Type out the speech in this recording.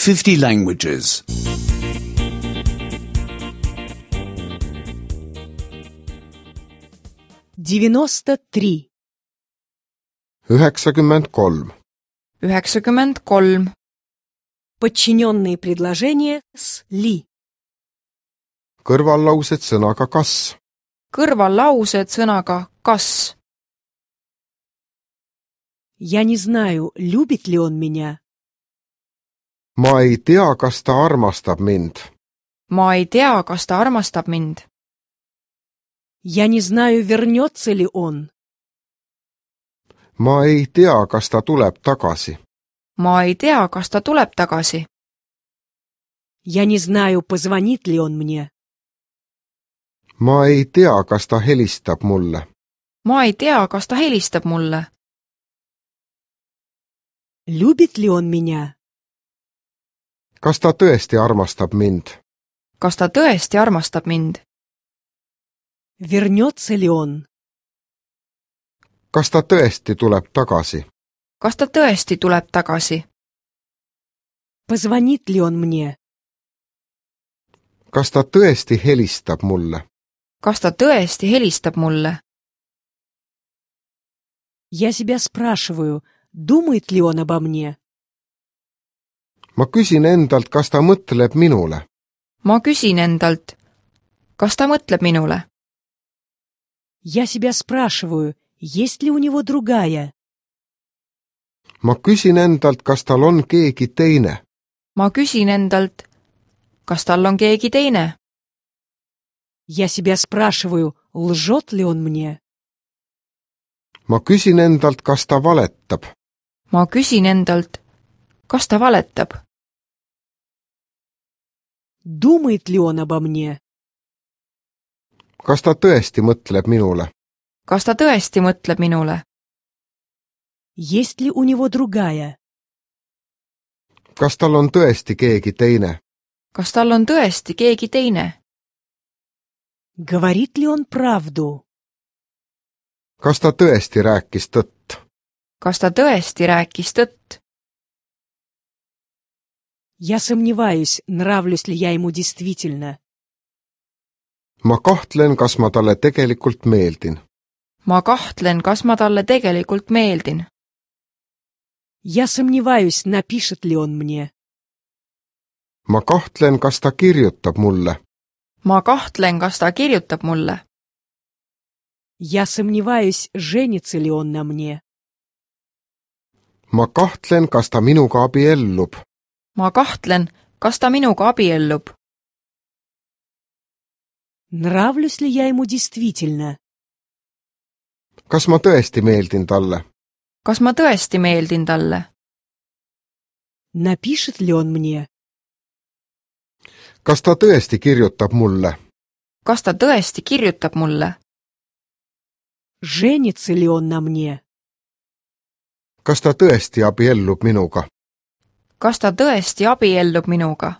50 languages. 93. 93. 93. Подчиненные предложения с ли. Kõrvallaused sõnaga kas. Kõrvallaused sõnaga kas. Я не знаю, любит ли он меня. Ma ei tea, kas ta armastab mind. Ma ei tea, kas ta armastab mind. Я не знаю, вернется ли он. Ma ei tea, kas ta tuleb tagasi. Ma ei tea, kas ta tuleb tagasi. Я не знаю, позвонит ли он мне. Ma ei tea, kas ta helistab mulle. Ma ei tea, kas ta helistab mulle. Любит ли он меня? Kas ta tõesti armastab mind? Kas ta tõesti armastab mind? Вернется ли он? Kas ta tõesti tuleb tagasi? Kas ta tõesti tuleb tagasi? Позвонит ли он мне? Kas ta tõesti helistab mulle? Kas ta tõesti helistab mulle? Я себя спрашиваю, думает ли он обо мне? Ma küsin endalt, kas ta mõtleb minule. Ma küsin endalt, kas ta mõtleb minule? Я себя спрашиваю, есть ли у него другая? Ma küsin endalt, kas tal on keegi teine. Ma küsin endalt, kas tal on keegi teine? Я себя спрашиваю, лжет ли он мне? Ma küsin endalt, kas ta valetab. Ma küsin endalt, kas ta valetab? Думает ли он обо мне? Kas ta tõesti mõtleb minule? Kas ta tõesti mõtleb minule? Есть ли у него другая? Kas tal on tõesti keegi teine? Kas tal on tõesti keegi teine? Говорит ли он правду? Kas ta tõesti rääkis tõtt? Kas ta tõesti rääkis tõtt? Я сомневаюсь, нравлюсь ли я ему действительно. Ma kahtlen, kas ma talle tegelikult meeldin. Ma kahtlen, kas ma talle tegelikult meeldin. Я сомневаюсь, напишет ли он мне. Ma kahtlen, kas ta kirjutab mulle. Ma kahtlen, kas ta kirjutab mulle. Я сомневаюсь, женится ли он на мне. Ma kahtlen, kas ta minuga abiellub. Ma kahtlen, kas ta minuga abiellub. Нравлюсь ли я ему действительно? Kas ma tõesti meeldin talle? Kas ma tõesti meeldin talle? Напишет ли он мне? Kas ta tõesti kirjutab mulle? Kas ta tõesti kirjutab mulle? Женится ли он на мне? Kas ta tõesti abiellub minuga? Kas ta tõesti abiellub minuga?